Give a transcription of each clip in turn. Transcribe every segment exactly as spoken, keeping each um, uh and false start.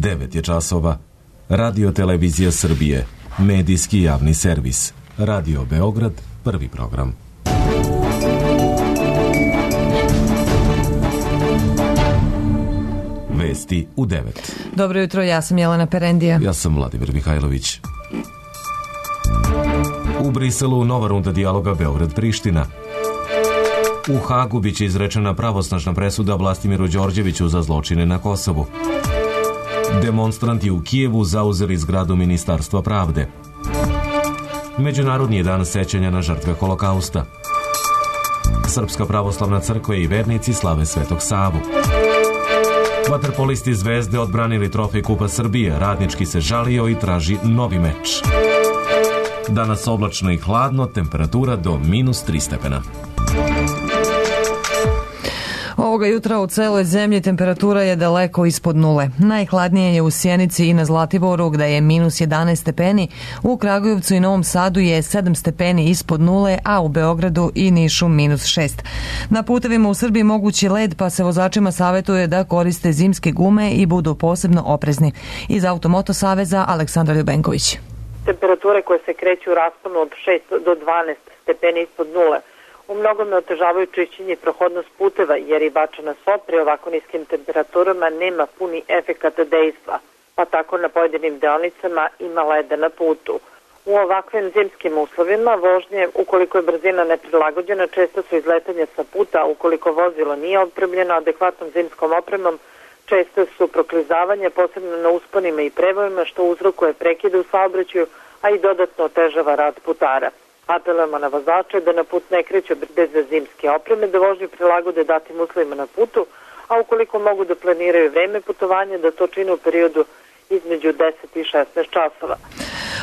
devet je časova. Radio Televizija Srbije, medijski javni servis. Radio Beograd, prvi program. Vesti u devet. Dobro jutro, ja sam Jelena Perendija. Ja sam Vladimir Mihajlović. U Briselu nova runda dijaloga Beograd-Priština. U Hagu biće izrečena pravosnažna presuda Vlastimiru Đorđeviću za zločine na Kosovu. Demonstranti u Kijevu zauzeli zgradu Ministarstva pravde. Međunarodni je dan sećanja na žrtve Holokausta. Srpska pravoslavna crkva i vernici slave Svetog Savu. Vaterpolisti Zvezde odbranili trofej Kupa Srbije, Radnički se žalio i traži novi meč. Danas oblačno i hladno, temperatura do minus tri stepena. Ovoga jutra u celoj zemlji temperatura je daleko ispod nule. Najhladnije je u Sjenici i na Zlatiboru gde je minus jedanaest stepeni, u Kragujevcu i Novom Sadu je sedam stepeni ispod nule, a u Beogradu i Nišu minus šest. Na putevima u Srbiji mogući led, pa se vozačima savjetuje da koriste zimske gume i budu posebno oprezni. Iz Automoto saveza Aleksandar Ljubenković. Temperature koje se kreću u rasponu od šest do dvanaest stepeni ispod nule u mnogome otežavaju čišćenje i prohodnost puteva, jer i bačena sva pri ovako niskim temperaturama nema puni efekat dejstva, pa tako na pojedinim deonicama ima leda na putu. U ovakvim zimskim uslovima vožnje, ukoliko je brzina neprilagođena, često su izletanja sa puta, ukoliko vozilo nije opremljeno adekvatnom zimskom opremom, često su proklizavanja, posebno na usponima i prevojima, što uzrokuje prekide u saobraćaju, a i dodatno otežava rad putara. Apelujemo na vozače da na put ne kreću bez zimske opreme, da vožnju prilagode datim uslovima na putu, a ukoliko mogu da planiraju vreme putovanja, da to čine u periodu između deset i šesnaest časova.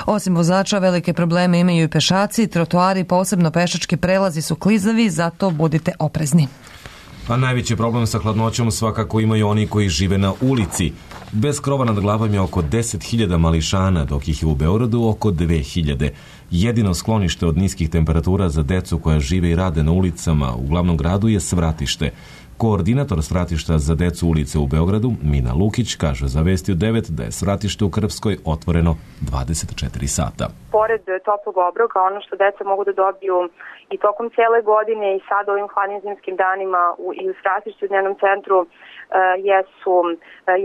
Osim vozača, velike probleme imaju i pešaci, trotoari, posebno pešački prelazi su klizavi, zato budite oprezni. A najveći problem sa hladnoćom svakako imaju oni koji žive na ulici. Bez krova nad glavom je oko deset hiljada mališana, dok ih je u Beogradu oko dve hiljade. Jedino sklonište od niskih temperatura za decu koja žive i rade na ulicama u glavnom gradu je Svratište. Koordinator Svratišta za decu ulice u Beogradu, Mina Lukić, kaže za Vesti u devet da je Svratište u Krvskoj otvoreno dvadeset četiri sata. Pored toplog obroka, ono što deca mogu da dobiju i tokom cijele godine i sad ovim hladnim zimskim danima u, i u Svratištu u dnevnom centru uh, jesu, uh,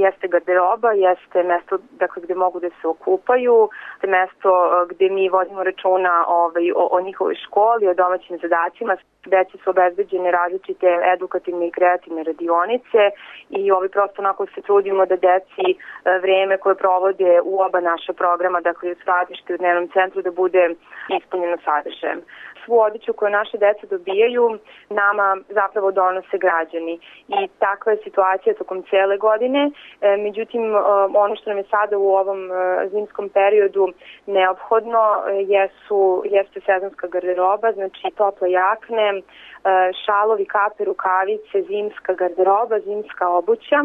jeste garderoba, jeste mesto dakle, gde mogu da se okupaju, te mesto uh, gde mi vodimo računa ovaj, o, o njihovoj školi, o domaćim zadacima. Deci su obezbeđene različite edukativne i kreativne radionice i ovaj prosto onako se trudimo da deci uh, vreme koje provode u oba naša programa, dakle u Svratištu u dnevnom centru, da bude ispunjeno sadržajem. Svu odeću koju naše deca dobijaju nama zapravo donose građani i takva je situacija tokom cijele godine. E, međutim, ono što nam je sada u ovom zimskom periodu neophodno jesu, jeste sezonska garderoba, znači tople jakne, šalovi, kape, rukavice, zimska garderoba, zimska obuća.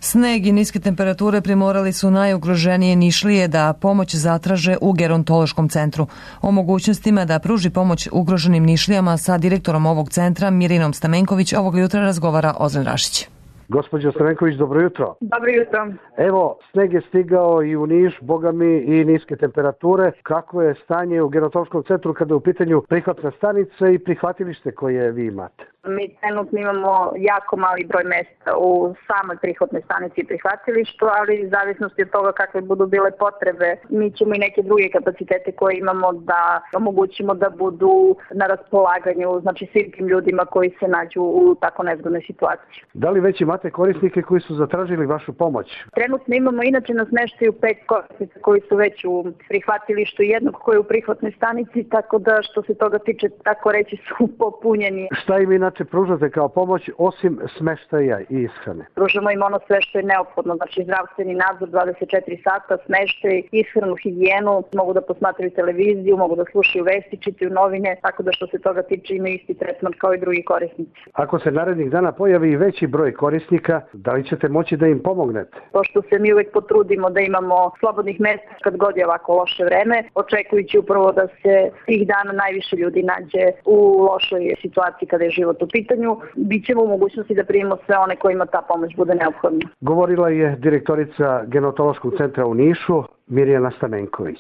Sneg i niske temperature primorali su najugroženije Nišlije da pomoć zatraže u gerontološkom centru. O mogućnostima da pruži pomoć ugroženim Nišlijama sa direktorom ovog centra Mirinom Stamenković ovog jutra razgovara Ozren Rašić. Gospođo Stamenković, dobro jutro. Dobro jutro. Evo, sneg je stigao i u Niš, bogami i niske temperature. Kako je stanje u gerontološkom centru kada je u pitanju prihvatna stanica i prihvatilište koje vi imate? Mi trenutno imamo jako mali broj mesta u samoj prihvatnoj stanici i prihvatilištu, ali u zavisnosti od toga kakve budu bile potrebe, mi ćemo i neke druge kapacitete koje imamo da omogućimo da budu na raspolaganju, znači svim tim ljudima koji se nađu u tako nezgodnoj situaciji. Da li već imate korisnike koji su zatražili vašu pomoć? Trenutno imamo inače na smeštaju pet korisnika koji su već u prihvatilištu, jednog koji je u prihvatnoj stanici, tako da što se toga tiče, tako reći, su popunjeni. Šta im inače pružate kao pomoć osim smeštaja i ishrane? Pružamo im ono sve što je neophodno, znači zdravstveni nadzor dvadeset četiri sata, smeštaj, ishranu, higijenu, mogu da posmatraju televiziju, mogu da slušaju vesti, čitaju novine, tako da što se toga tiče imaju isti tretman kao i drugi korisnici. Ako se narednih dana pojavi veći broj korisnika, da li ćete moći da im pomognete? Pošto se mi uvek potrudimo da imamo slobodnih mesta kad god je ovako loše vreme, očekujući upravo da se tih dana najviše ljudi nađe u lošoj situaciji kada je život život u pitanju, bit ćemo u mogućnosti da primimo sve one kojima ta pomoć bude neophodna. Govorila je direktorica Genetološkog centra u Nišu, Mirjana Stamenković.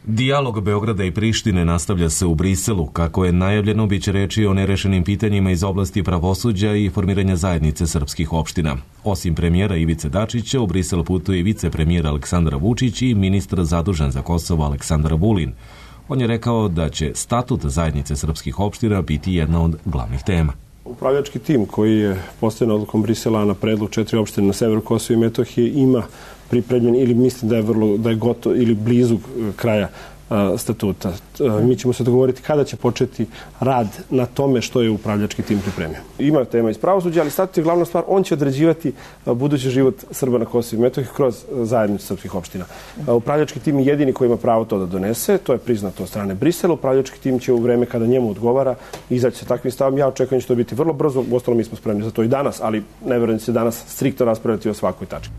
Dijalog Beograda i Prištine nastavlja se u Briselu. Kako je najavljeno, bit će reči o nerešenim pitanjima iz oblasti pravosuđa i formiranja zajednice srpskih opština. Osim premijera Ivice Dačića, u Brisel putuje i vicepremijer Aleksandar Vučić i ministar zadužen za Kosovo Aleksandar Vulin. On je rekao da će statut zajednice srpskih opština biti jedna od glavnih tema. Upravljački tim koji je postavljen odlukom Brisela na predlog četiri opštine na severu Kosova i Metohije ima pripremljen ili mislim da je vrlo da je gotovo ili blizu kraja a, statuta. A, mi ćemo se dogovoriti kada će početi rad na tome što je upravljački tim pripremio. Ima tema iz pravosuđa, ali statut je glavna stvar, on će određivati a, budući život Srba na Kosovu i Metohiji kroz zajednicu srpskih opština. A, upravljački tim je jedini koji ima pravo to da donese, to je priznato od strane Brisela. Upravljački tim će u vreme kada njemu odgovara izaći sa takvim stavom. Ja očekujem da će to biti vrlo brzo, uostalom mi smo spremni za to i danas, ali ne verujem da će danas striktno raspravljati o svakoj tački.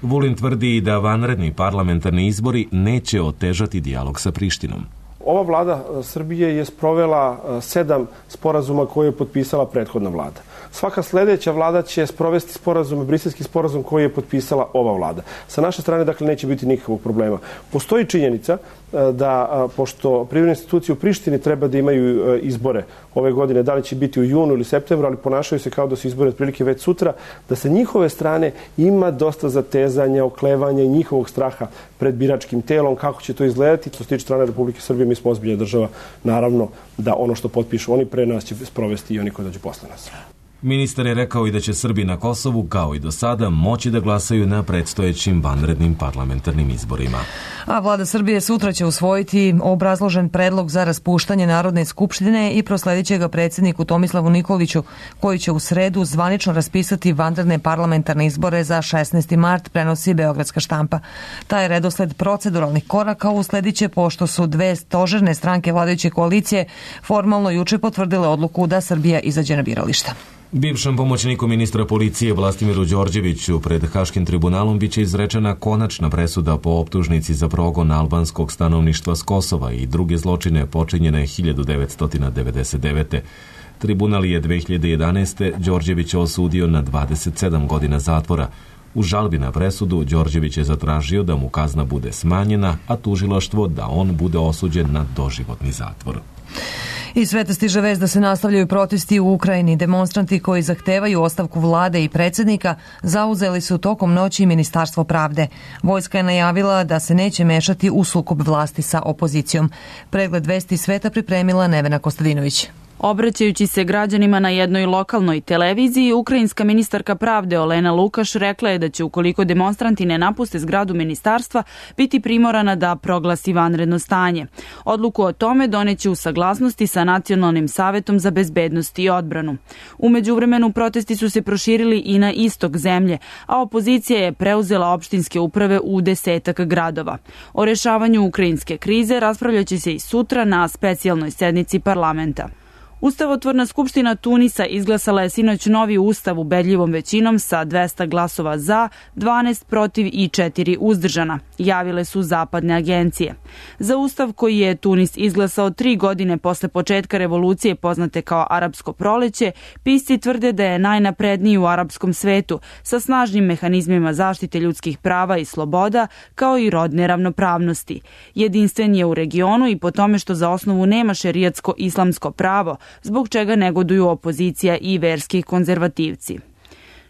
Vulin tvrdi da vanredni parlamentarni izbori neće otežati dijalog sa Prištinom. Ova vlada Srbije je sprovela sedam sporazuma koje je potpisala prethodna vlada. Svaka sledeća vlada će sprovesti sporazum, briselski sporazum koji je potpisala ova vlada. Sa naše strane, dakle, neće biti nikakvog problema. Postoji činjenica da, pošto privredne institucije u Prištini treba da imaju izbore ove godine, da li će biti u junu ili septembru, ali ponašaju se kao da su izbore otprilike već sutra, da sa njihove strane ima dosta zatezanja, oklevanja i njihovog straha pred biračkim telom, kako će to izgledati. Što se tiče strane Republike Srbije, mi smo ozbiljna država, naravno da ono što potpišu oni pre nas će sprovesti i oni koji dođu posle nas. Ministar je rekao i da će Srbi na Kosovu, kao i do sada, moći da glasaju na predstojećim vanrednim parlamentarnim izborima. A vlada Srbije sutra će usvojiti obrazložen predlog za raspuštanje Narodne skupštine i prosledit će ga predsjedniku Tomislavu Nikoliću, koji će u sredu zvanično raspisati vanredne parlamentarne izbore za šesnaesti mart, prenosi Beogradska štampa. Taj redosled proceduralnih koraka usledit će pošto su dve stožerne stranke vladajuće koalicije formalno juče potvrdile odluku da Srbija izađe na birališta. Bivšem pomoćniku ministra policije Vlastimiru Đorđeviću pred Haškim tribunalom biće izrečena konačna presuda po optužnici za progon albanskog stanovništva s Kosova i druge zločine počinjene hiljadu devetsto devedeset devete. Tribunal je dve hiljade jedanaeste. Đorđevića osudio na dvadeset sedam godina zatvora. U žalbi na presudu Đorđević je zatražio da mu kazna bude smanjena, a tužilaštvo da on bude osuđen na doživotni zatvor. Iz sveta stiže vest da se nastavljaju protesti u Ukrajini. Demonstranti koji zahtevaju ostavku vlade i predsjednika zauzeli su tokom noći Ministarstvo pravde. Vojska je najavila da se neće mešati u sukob vlasti sa opozicijom. Pregled vesti sveta pripremila Nevena Kostadinović. Obraćajući se građanima na jednoj lokalnoj televiziji, ukrajinska ministarka pravde Olena Lukaš rekla je da će, ukoliko demonstranti ne napuste zgradu ministarstva, biti primorana da proglasi vanredno stanje. Odluku o tome doneće u saglasnosti sa Nacionalnim savetom za bezbednost i odbranu. U međuvremenu protesti su se proširili i na istok zemlje, a opozicija je preuzela opštinske uprave u desetak gradova. O rešavanju ukrajinske krize raspravljaće se i sutra na specijalnoj sednici parlamenta. Ustavotvorna skupština Tunisa izglasala je sinoć novi ustav ubedljivom većinom sa dvesta glasova za, dvanaest protiv i četiri uzdržana, javile su zapadne agencije. Za ustav koji je Tunis izglasao tri godine posle početka revolucije poznate kao Arapsko proleće, pisci tvrde da je najnapredniji u arapskom svetu sa snažnim mehanizmima zaštite ljudskih prava i sloboda kao i rodne ravnopravnosti. Jedinstven je u regionu i po tome što za osnovu nema šerijatsko islamsko pravo, zbog čega negoduju opozicija i verski konzervativci.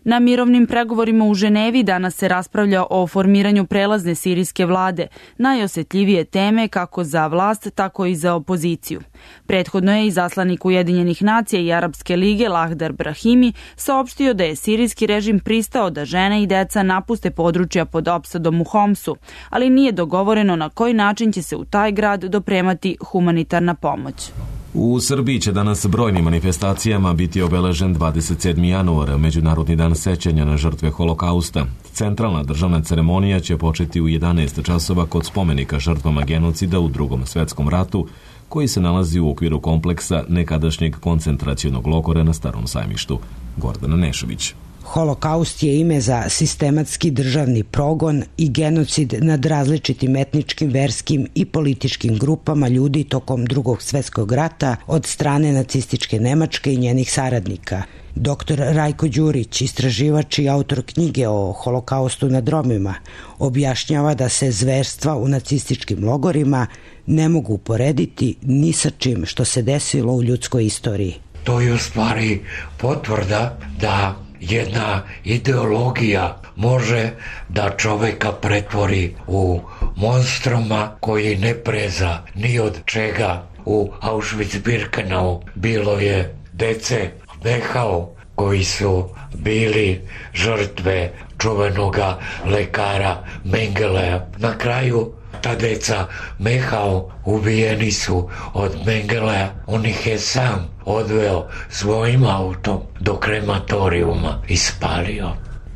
Na mirovnim pregovorima u Ženevi danas se raspravlja o formiranju prelazne sirijske vlade, najosetljivije teme kako za vlast, tako i za opoziciju. Prethodno je izaslanik Ujedinjenih nacija i Arapske lige Lahdar Brahimi saopštio da je sirijski režim pristao da žene i deca napuste područja pod opsadom u Homsu, ali nije dogovoreno na koji način će se u taj grad dopremati humanitarna pomoć. U Srbiji će danas brojnim manifestacijama biti obeležen dvadeset sedmi januar, Međunarodni dan sećanja na žrtve Holokausta. Centralna državna ceremonija će početi u jedanaest časova kod spomenika žrtvama genocida u Drugom svetskom ratu, koji se nalazi u okviru kompleksa nekadašnjeg koncentracionog logora na Starom sajmištu. Gordana Nešović. Holokaust je ime za sistematski državni progon i genocid nad različitim etničkim, verskim i političkim grupama ljudi tokom Drugog svjetskog rata od strane nacističke Nemačke i njenih saradnika. Doktor Rajko Đurić, istraživač i autor knjige o Holokaustu nad Romima, objašnjava da se zverstva u nacističkim logorima ne mogu uporediti ni sa čim što se desilo u ljudskoj istoriji. To je u stvari potvrda da jedna ideologija može da čoveka pretvori u monstruma koji ne preza ni od čega. U Auschwitz-Birkenau bilo je dece Dehau koji su bili žrtve čuvenoga lekara Mengelea. Na kraju ta deca Mehao ubijeni su od Mengelea. On ih je sam odveo svojim autom do krematorijuma i spalio.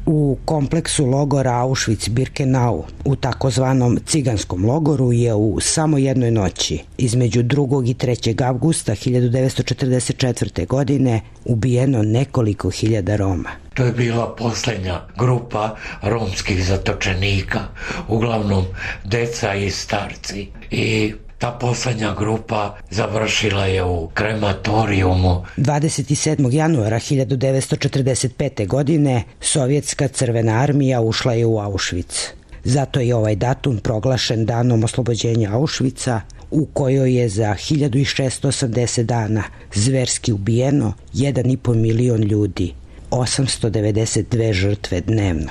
U kompleksu logora Auschwitz-Birkenau, u takozvanom ciganskom logoru, je u samo jednoj noći, između drugog i trećeg avgusta hiljadu devetsto četrdeset četvrte. godine, ubijeno nekoliko hiljada Roma. To je bila posljednja grupa romskih zatočenika, uglavnom deca i starci. I ta posljednja grupa završila je u krematorijumu. dvadeset sedmog januara hiljadu devetsto četrdeset pete. godine Sovjetska crvena armija ušla je u Auschwitz. Zato je ovaj datum proglašen danom oslobođenja Auschwitza, u kojoj je za hiljadu šeststo osamdeset dana zverski ubijeno jedan i po milion ljudi, osamsto devedeset dve žrtve dnevno.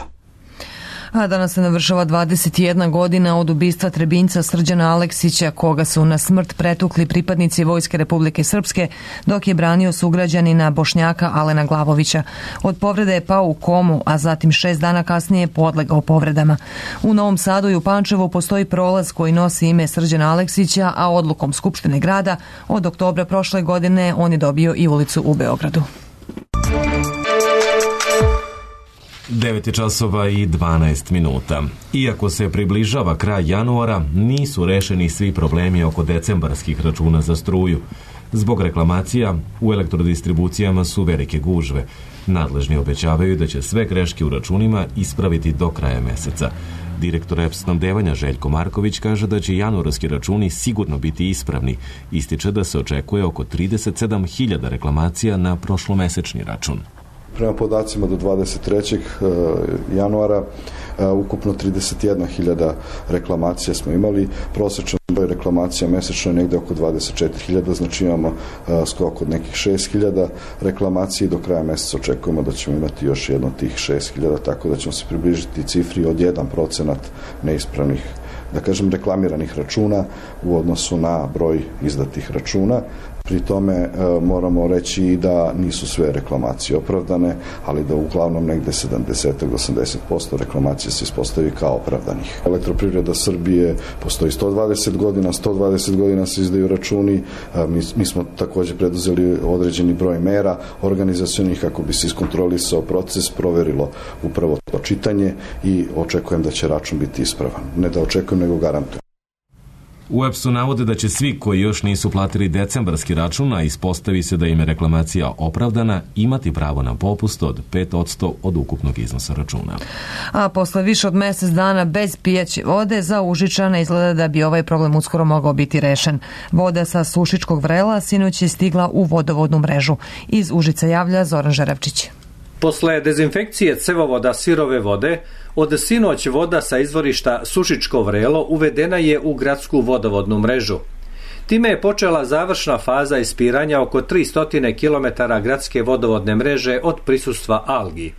A danas se navršava dvadeset jedna godina od ubistva Trebinjca Srđana Aleksića, koga su na smrt pretukli pripadnici Vojske Republike Srpske, dok je branio sugrađanina Bošnjaka Alena Glavovića. Od povrede je pao u komu, a zatim šest dana kasnije podlegao povredama. U Novom Sadu i u Pančevu postoji prolaz koji nosi ime Srđana Aleksića, a odlukom Skupštine grada od oktobra prošle godine on je dobio i ulicu u Beogradu. devet časova i dvanaest minuta. Iako se približava kraj januara, nisu rešeni svi problemi oko decembarskih računa za struju. Zbog reklamacija, u elektrodistribucijama su velike gužve. Nadležni obećavaju da će sve greške u računima ispraviti do kraja meseca. Direktor E P S snabdevanja Željko Marković kaže da će januarski računi sigurno biti ispravni. Ističe da se očekuje oko trideset sedam hiljada reklamacija na prošlomesečni račun. Prema podacima do dvadeset trećeg januara ukupno trideset jedna hiljada reklamacija smo imali. Prosječan broj reklamacija mesečno je negde oko dvadeset četiri hiljade, znači imamo skok od nekih šest hiljada reklamacija i do kraja meseca očekujemo da ćemo imati još jedno tih šest hiljada, tako da ćemo se približiti cifri od jedan procenat neispravnih, da kažem, reklamiranih računa u odnosu na broj izdatih računa. Pri tome e, moramo reći i da nisu sve reklamacije opravdane, ali da uglavnom negde sedamdeset do osamdeset posto reklamacija se ispostavi kao opravdanih. Elektroprivreda Srbije postoji sto dvadeset godina, sto dvadeset godina se izdaju računi. E, mi, mi smo također preduzeli određeni broj mera organizacionih kako bi se iskontrolisao proces, proverilo upravo to čitanje i očekujem da će račun biti ispravan. Ne da očekujem, nego garantujem. U E P S-u navode da će svi koji još nisu platili decembarski račun, a ispostavi se da im je reklamacija opravdana, imati pravo na popust od pet posto od ukupnog iznosa računa. A posle više od mjesec dana bez pijaće vode, za Užičane izgleda da bi ovaj problem uskoro mogao biti rešen. Voda sa Sušičkog vrela sinoć je stigla u vodovodnu mrežu. Iz Užica javlja Zoran Žarevčić. Posle dezinfekcije cevovoda sirove vode, od sinoć voda sa izvorišta Sušičko vrelo uvedena je u gradsku vodovodnu mrežu. Time je počela završna faza ispiranja oko tristo kilometara gradske vodovodne mreže od prisustva algi.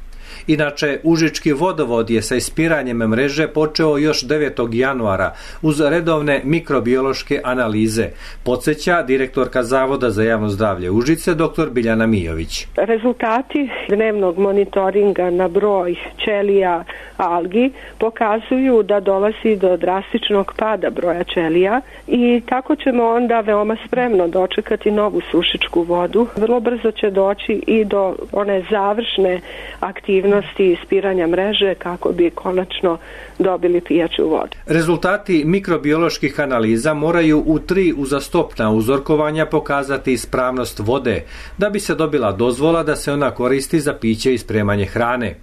Inače, Užički vodovod je sa ispiranjem mreže počeo još devetog januara uz redovne mikrobiološke analize, podsjeća direktorka Zavoda za javno zdravlje Užice dr. Biljana Mijović. Rezultati dnevnog monitoringa na broj ćelija algi pokazuju da dolazi do drastičnog pada broja ćelija i tako ćemo onda veoma spremno dočekati novu sušičku vodu. Vrlo brzo će doći i do one završne aktivnosti aktivnosti ispiranja mreže kako bi konačno dobili pijaću vodu. Rezultati mikrobioloških analiza moraju u tri uzastopna uzorkovanja pokazati ispravnost vode, da bi se dobila dozvola da se ona koristi za piće i spremanje hrane.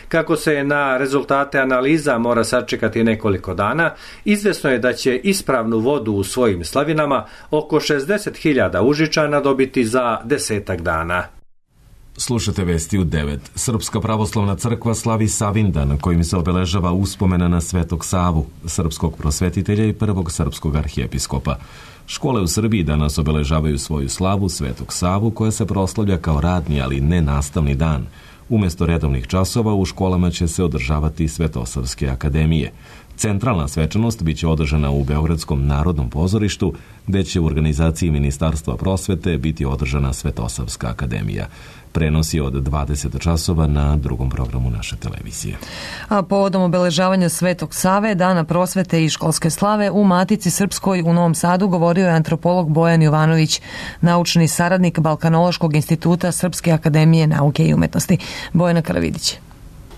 Kako se na rezultate analiza mora sačekati nekoliko dana, izvesno je da će ispravnu vodu u svojim slavinama oko šezdeset hiljada Užičana dobiti za desetak dana. Slušate vesti u devet. Srpska pravoslavna crkva slavi Savindan, kojim se obeležava uspomena na Svetog Savu, srpskog prosvetitelja i prvog srpskog arhijepiskopa. Škole u Srbiji danas obeležavaju svoju slavu Svetog Savu, koja se proslavlja kao radni, ali ne nastavni dan. Umjesto redovnih časova u školama će se održavati Svetosavske akademije. Centralna svečanost biće održana u Beogradskom narodnom pozorištu, gde će u organizaciji Ministarstva prosvete biti održana Svetosavska akademija. Prenosi od dvadeset časova na drugom programu naše televizije. A povodom obeležavanja Svetog Save, Dana prosvete i školske slave, u Matici Srpskoj u Novom Sadu govorio je antropolog Bojan Jovanović, naučni saradnik Balkanološkog instituta Srpske akademije nauke i umetnosti. Bojana Karavidić.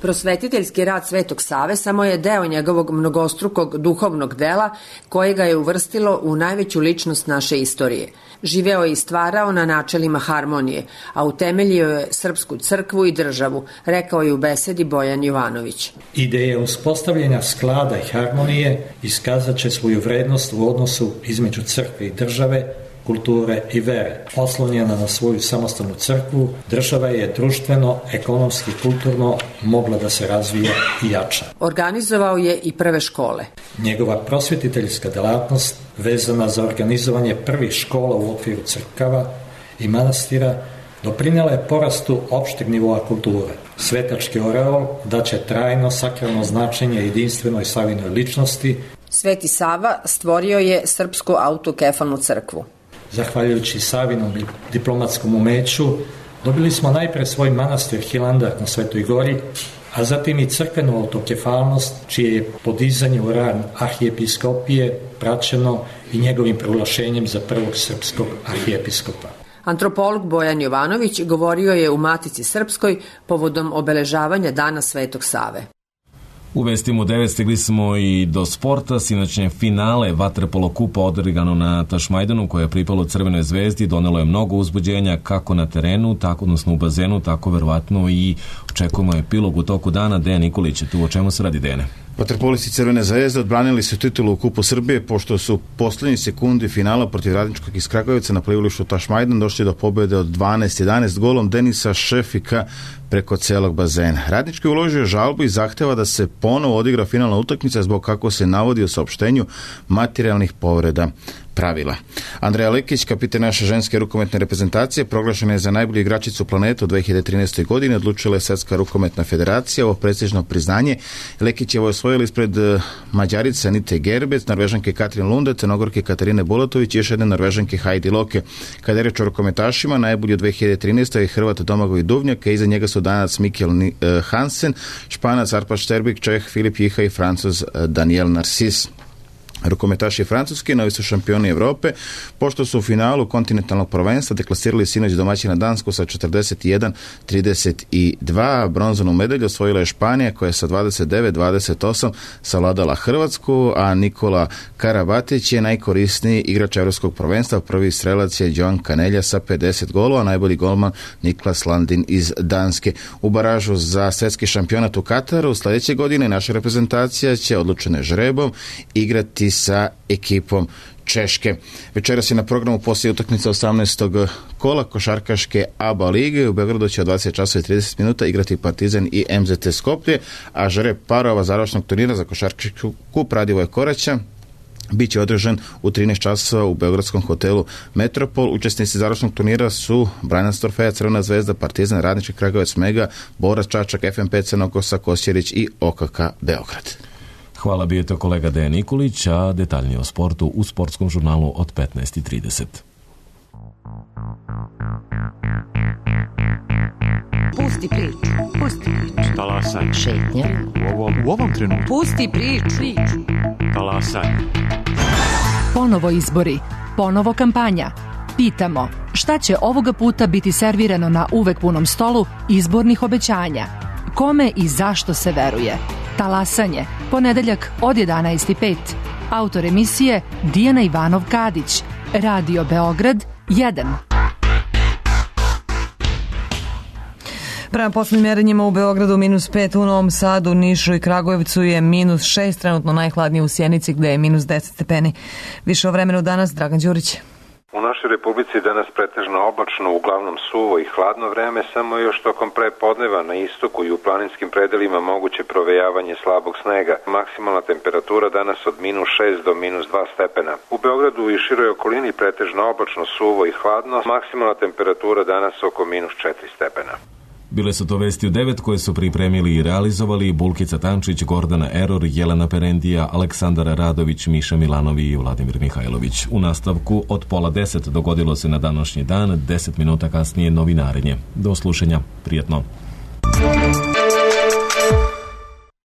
Prosvetiteljski rad Svetog Save samo je deo njegovog mnogostrukog duhovnog dela koje ga je uvrstilo u najveću ličnost naše istorije. Živeo je i stvarao na načelima harmonije, a utemeljio je srpsku crkvu i državu, rekao je u besedi Bojan Jovanović. Ideja uspostavljanja sklada i harmonije iskazat će svoju vrednost u odnosu između crkve i države, kulture i vere. Oslonjena na svoju samostalnu crkvu, država je društveno, ekonomski, kulturno mogla da se razvija i jača. Organizovao je i prve škole. Njegova prosvetiteljska delatnost, vezana za organizovanje prvih škola u okviru crkava i manastira, doprinjela je porastu opšteg nivoa kulture. Svetački oreol daće trajno sakralno značenje jedinstvenoj Savinoj ličnosti. Sveti Sava stvorio je Srpsku autokefalnu crkvu. Zahvaljujući Savinom diplomatskom umeću, dobili smo najpre svoj manastir Hilandar na Svetoj Gori, a zatim i crkvenu autokefalnost, čije je podizanje u rang arhijepiskopije praćeno i njegovim proglašenjem za prvog srpskog arhijepiskopa. Antropolog Bojan Jovanović govorio je u Matici Srpskoj povodom obeležavanja Dana Svetog Save. U vestima u devet stigli smo i do sporta. Sinoćnje finale vaterpolo kupa odigrano na Tašmajdanu, koje je pripalo Crvenoj zvezdi, donelo je mnogo uzbuđenja kako na terenu, tako odnosno u bazenu, tako verovatno i očekujemo epilog u toku dana. Dejan Nikolić je tu. O čemu se radi, Dejane? Vaterpolisti Crvene zvezde odbranili su titulu u Kupu Srbije, pošto su poslednji sekundi finala protiv Radničkog iz Kragujevca na plivalištu Tašmajdan došli do pobjede od dvanaest jedanaest golom Denisa Šefika preko celog bazena. Radnički je uložio žalbu i zahteva da se ponovo odigra finalna utakmica zbog, kako se navodi u saopštenju, materijalnih povreda pravila. Andreja Lekić, kapitan naše ženske rukometne reprezentacije, proglašena je za najbolju igračicu planetu u dve hiljade trinaestoj. godini, odlučila je Svetska rukometna federacija. Ovo prestižno priznanje Lekić je osvojila ispred Mađarice Anite Gerbec, Norvežanke Katrin Lunde, Crnogorke Katarine Bolatović i još jedne Norvežanke Heidi Loke. Kada je reč o rukometašima, najbolji u dve hiljade trinaestoj. je Hrvat Domagoj Duvnjak, a iza njega su Danac Mikkel Hansen, Španac Arpad Šterbik, Čeh Filip Jiha i Francuz Daniel Narcis. Rukometaši Francuske, novi su šampioni Evrope, pošto su u finalu kontinentalnog prvenstva deklasirali sinoć domaćina Dansku sa četrdeset jedan trideset dva. Bronzanu medalju osvojila je Španija, koja je sa dvadeset devet dvadeset osam savladala Hrvatsku, a Nikola Karabatić je najkorisniji igrač Evropskog prvenstva. Prvi strelac je Joan Canelja sa pedeset golova, a najbolji golman Niklas Landin iz Danske. U baražu za svetski šampionat u Kataru sledeće godine naša reprezentacija će odlučene žrebom igrati sa ekipom Češke. Večeras je na programu poslije utakmica osamnaestog kola košarkaške A B A lige. U Beogradu će od dvadeset časova i trideset minuta igrati Partizan i M Z T Skoplje, a žreb parova završnog turnira za košarkaški kup Radivoja Koraća biće održan u trinaest časova u beogradskom hotelu Metropol. Učesnici završnog turnira su Brajanac Torfeja, Crvena zvezda, Partizan, Radnički Kragujevac, Mega, Borac Čačak, F M P Crnokosa, Kosjerić i O K K Beograd. Hvala, bio je to kolega Dejan Nikolić, a detaljnije o sportu u sportskom žurnalu od petnaest i trideset. Pusti priču, pusti priču. Talasaj. Šetnja. U ovom, u ovom trenutku. Pusti priču. Talasaj. Ponovo izbori, ponovo kampanja. Pitamo, šta će ovoga puta biti servirano na uvek punom stolu izbornih obećanja? Kome i zašto se veruje? Talasanje, ponedeljak od jedanaest i pet. Autor emisije Dijana Ivanov-Kadić. Radio Beograd jedan. Prema poslednjim merenjima u Beogradu minus pet, u Novom Sadu, Nišu i Kragujevcu je minus šest, trenutno najhladnije u Sjenici gde je minus deset stepeni. Više o vremenu danas, Dragan Đurić. U našoj Republici danas pretežno oblačno, uglavnom suvo i hladno vreme, samo još tokom prepodneva na istoku i u planinskim predelima moguće provejavanje slabog snega. Maksimalna temperatura danas od minus šest do minus dva stepena. U Beogradu i široj okolini pretežno oblačno, suvo i hladno, maksimalna temperatura danas oko minus četiri stepena. Bile su to vesti u devet koje su pripremili i realizovali Bulkica Tančić, Gordana Eror, Jelena Perendija, Aleksandar Radović, Miša Milanovi i Vladimir Mihajlović. U nastavku od pola deset dogodilo se na današnji dan, deset minuta kasnije novinarenje. Do slušanja, prijatno.